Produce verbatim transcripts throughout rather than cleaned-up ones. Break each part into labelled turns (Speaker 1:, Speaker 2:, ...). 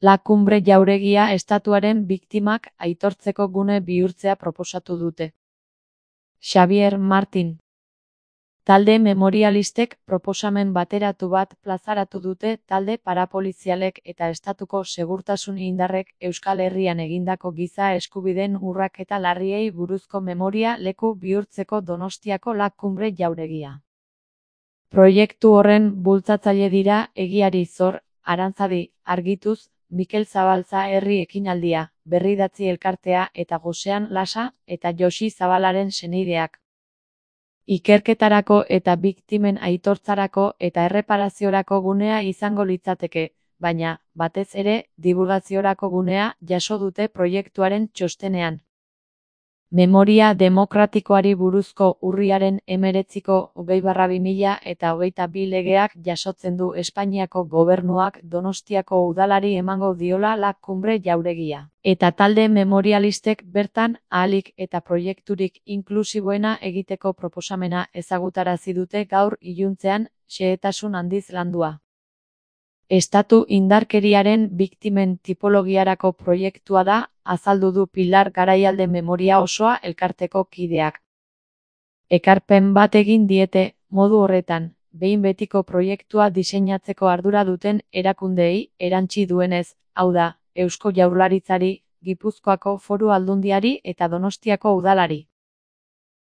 Speaker 1: La Cumbre jauregia estatuaren biktimak aitortzeko gune bihurtzea proposatu dute. Xavier Martin. Talde memorialistek proposamen bateratu bat plazaratu dute talde parapolizialek eta estatuko segurtasun indarrek Euskal Herrian egindako giza eskubideen urraketa larriei buruzko memoria leku bihurtzeko Donostiako La Cumbre jauregia. Proiektu horren bultzatzaile dira Egiari Zor, Arantzadi, Argituz, Mikel Zabalza herri ekinaldia, Berridatzi elkartea eta Gosean Lasa eta Josi Zabalaren senideak. Ikerketarako eta biktimen aitortzarako eta erreparaziorako gunea izango litzateke, baina, batez ere, dibulgaziorako gunea jaso dute proiektuaren txostenean. Memoria demokratikoari buruzko urriaren hemeretziko hogei barra bi mila eta hogeita bi legeak jasotzen du Espainiako gobernuak Donostiako udalari emango diola La Cumbre jauregia. Eta talde memorialistek bertan ahalik eta proiekturik inklusiboena egiteko proposamena ezagutarazi dute gaur iluntzean, xehetasun handiz landua. Estatu indarkeriaren biktimen tipologiarako proiektua da, azaldu du Pilar Garaialde Memoria Osoa elkarteko kideak. Ekarpen bat egin diete, modu horretan, behin betiko proiektua diseinatzeko ardura duten erakundeei erantsi duenez, hau da, Eusko Jaurlaritzari, Gipuzkoako Foru Aldundiari eta Donostiako udalari.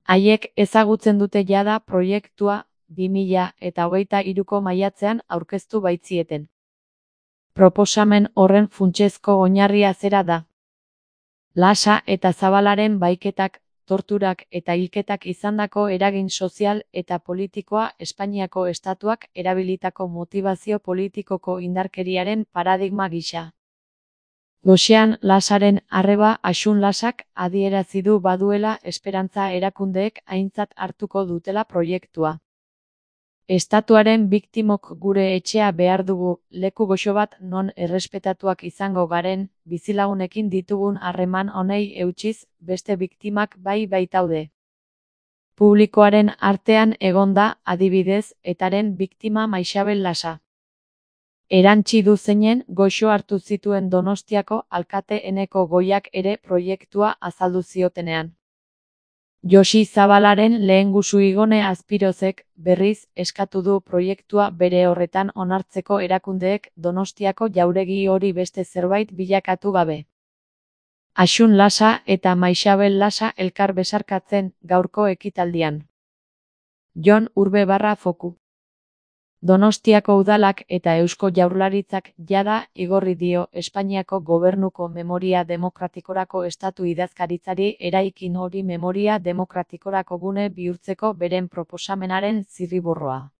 Speaker 1: Haiek ezagutzen dute jada proiektua, bi mila eta hogeita hiruko maiatzean aurkeztu baitzieten. Proposamen horren funtsezko oinarria zera da. Lasa eta Zabalaren baiketak, torturak eta hilketak izandako eragin sozial eta politikoa Espainiako estatuak erabilitako motivazio politikoko indarkeriaren paradigma gisa. Gosean Lasaren arreba Asun Lasak adierazi du baduela esperantza erakundeek aintzat hartuko dutela proiektua. Estatuaren biktimok gure etxea behar dugu, leku goxo bat non errespetatuak izango garen, bizilagunekin ditugun harreman honei eutsiz, beste biktimak bai baitaude. Publikoaren artean egonda, adibidez, etaren biktima Maixabel Lasa. Erantsi du zeinen goxo hartu zituen Donostiako alkate Eneko Goiak ere proiektua azaldu ziotenean. Josi Zabalaren lehengusu Igone Azpirozek, berriz, eskatu du proiektua bere horretan onartzeko erakundeek Donostiako jauregi hori beste zerbait bilakatu gabe. Asun Lasa eta Maixabel Lasa elkar besarkatzen gaurko ekitaldian. Jon Urbe barra foku. Donostiako udalak eta Eusko Jaurlaritzak jada igorri dio Espainiako gobernuko memoria demokratikorako estatu idazkaritzari eraikin hori memoria demokratikorako gune bihurtzeko beren proposamenaren zirriborroa.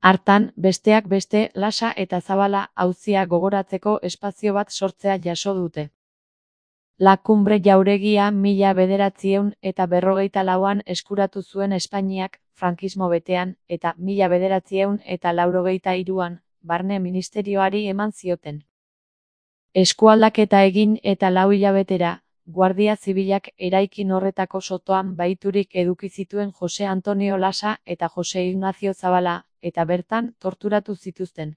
Speaker 1: Hartan, besteak beste, Lasa eta Zabala auzia gogoratzeko espazio bat sortzea jaso dute. La Cumbre jauregia mila bederatziehun eta berrogeita lauan eskuratu zuen Espainiak, frankismo betean, eta mila bederatziehun eta laurogeita hiruan, barne ministerioari eman zioten. Eskualdaketa egin eta lau hilabetera, Guardia Zibilak eraikin horretako sotoan baiturik eduki zituen Jose Antonio Lasa eta Jose Ignacio Zabala, eta bertan torturatu zituzten.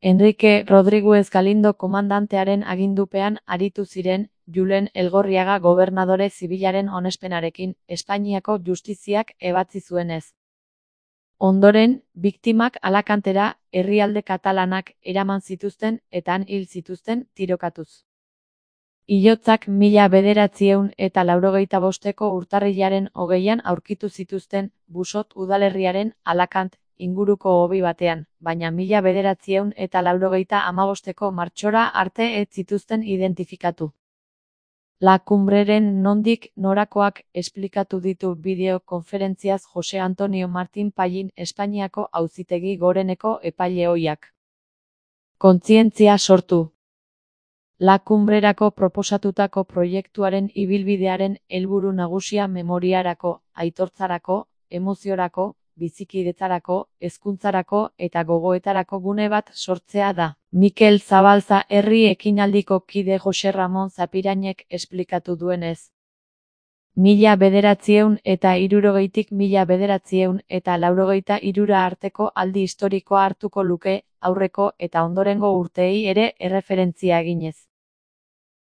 Speaker 1: Enrique Rodríguez Galindo komandantearen agindupean aritu ziren, Julen Elgorriaga gobernadore zibilaren onespenarekin, Espainiako justiziak ebatzi zuenez. Ondoren, biktimak Alakantera, herrialde katalanak eraman zituzten eta han hil zituzten tirokatuz. Hilotzak mila bederatziehun eta laurogeita bosteko urtarrilaren hogeian aurkitu zituzten, Busot udalerriaren Alakant inguruko hobi batean, baina mila bederatziehun eta laurogeita hamabosteko martxora arte ez zituzten identifikatu. La Cumbreren nondik norakoak esplikatu ditu bideokonferentziaz Jose Antonio Martin Pallin Espainiako Auzitegi Goreneko epaile ohiak. Kontzientzia sortu. La Cumbrerako proposatutako proiektuaren ibilbidearen helburu nagusia memoriarako, aitortzarako, emoziorako, bizikidetzarako, hezkuntzarako eta gogoetarako gune bat sortzea da. Mikel Zabalza herri ekinaldiko kide Jose Ramon Zapirainek esplikatu duenez. Mila bederatziehun eta hirurogeitik mila bederatziehun eta laurogeita hirura arteko aldi historikoa hartuko luke, aurreko eta ondorengo urteei ere erreferentzia eginez.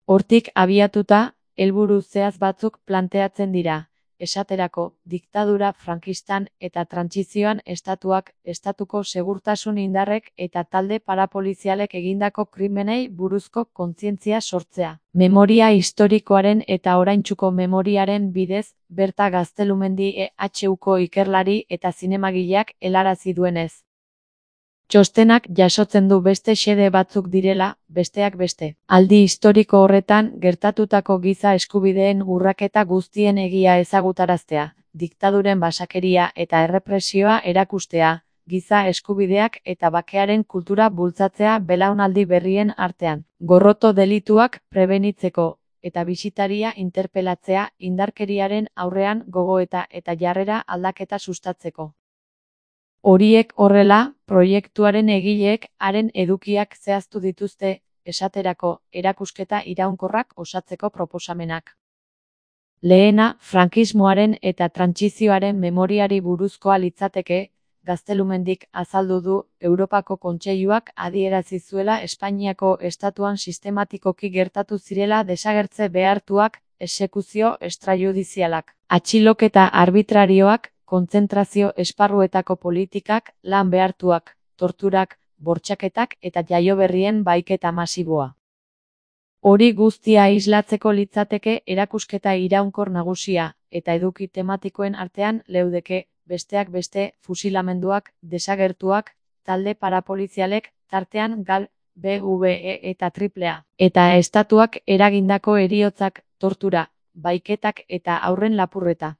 Speaker 1: Hortik abiatuta, helburu zehatz batzuk planteatzen dira. Esaterako, diktadura frankistan eta trantsizioan estatuak, estatuko segurtasun indarrek eta talde parapolizialek egindako krimenei buruzko kontzientzia sortzea. Memoria historikoaren eta oraintsuko memoriaren bidez, Berta Gaztelumendi E H Uko ikerlari eta zinemagileak helarazi duenez. Txostenak jasotzen du beste xede batzuk direla, besteak beste. Aldi historiko horretan gertatutako giza eskubideen urraketa guztien egia ezagutaraztea, diktaduren basakeria eta errepresioa erakustea, giza eskubideak eta bakearen kultura bultzatzea belaunaldi berrien artean. Gorroto delituak prebenitzeko eta bisitaria interpelatzea indarkeriaren aurrean gogoeta eta jarrera aldaketa sustatzeko. Horiek horrela, proiektuaren egileek haren edukiak zehaztu dituzte, esaterako, erakusketa iraunkorrak osatzeko proposamenak. Lehena, frankismoaren eta trantsizioaren memoriari buruzkoa litzateke, Gaztelumendik azaldu du Europako Kontseiluak adierazi zuela Espainiako estatuan sistematikoki gertatu zirela desagertze behartuak, exekuzio extrajudizialak, atxiloketa arbitrarioak, kontzentrazio esparruetako politikak, lan behartuak, torturak, bortxaketak eta jaioberrien baiketa masiboa. Hori guztia islatzeko litzateke erakusketa iraunkor nagusia, eta eduki tematikoen artean leudeke, besteak beste, fusilamenduak, desagertuak, talde parapolizialek, tartean gal, B V E eta triplea, eta estatuak eragindako heriotzak, tortura, baiketak eta haurren lapurreta.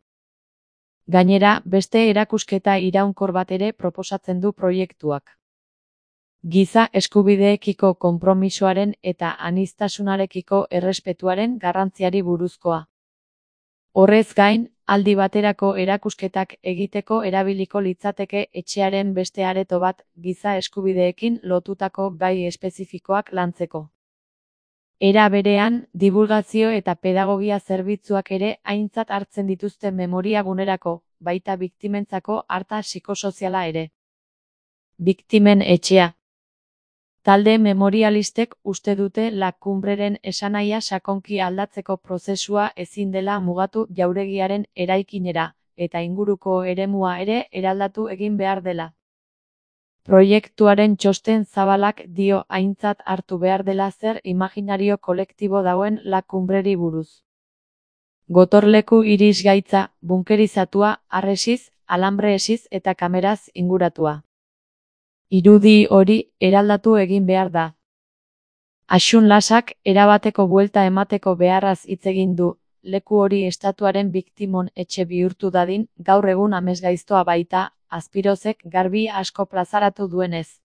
Speaker 1: Gainera, beste erakusketa iraunkor bat ere proposatzen du proiektuak. Giza eskubideekiko konpromisoaren eta aniztasunarekiko errespetuaren garrantziari buruzkoa. Horrez gain, aldi baterako erakusketak egiteko erabiliko litzateke etxearen beste areto bat giza eskubideekin lotutako gai espezifikoak lantzeko. Era berean, divulgazio eta pedagogia zerbitzuak ere aintzat hartzen dituzte memoria gunerako, baita biktimentzako arta psikosoziala ere. Biktimen etxea. Talde memorialistek uste dute La Cumbreren esanahia sakonki aldatzeko prozesua ezin dela mugatu jauregiaren eraikinera, eta inguruko eremua ere eraldatu egin behar dela. Proiektuaren txosten zabalak dio aintzat hartu behar dela zer imaginario kolektibo dagoen La Cumbreri buruz. Gotorleku irisgaitza, bunkerizatua, harresiz, alambre-esiz eta kameraz inguratua. Irudi hori eraldatu egin behar da. Asun Lasak erabateko buelta emateko beharraz hitz egin du, leku hori estatuaren biktimon etxe bihurtu dadin, gaur egun amesgaiztoa baita, Azpirozek garbi asko plazaratu duenez.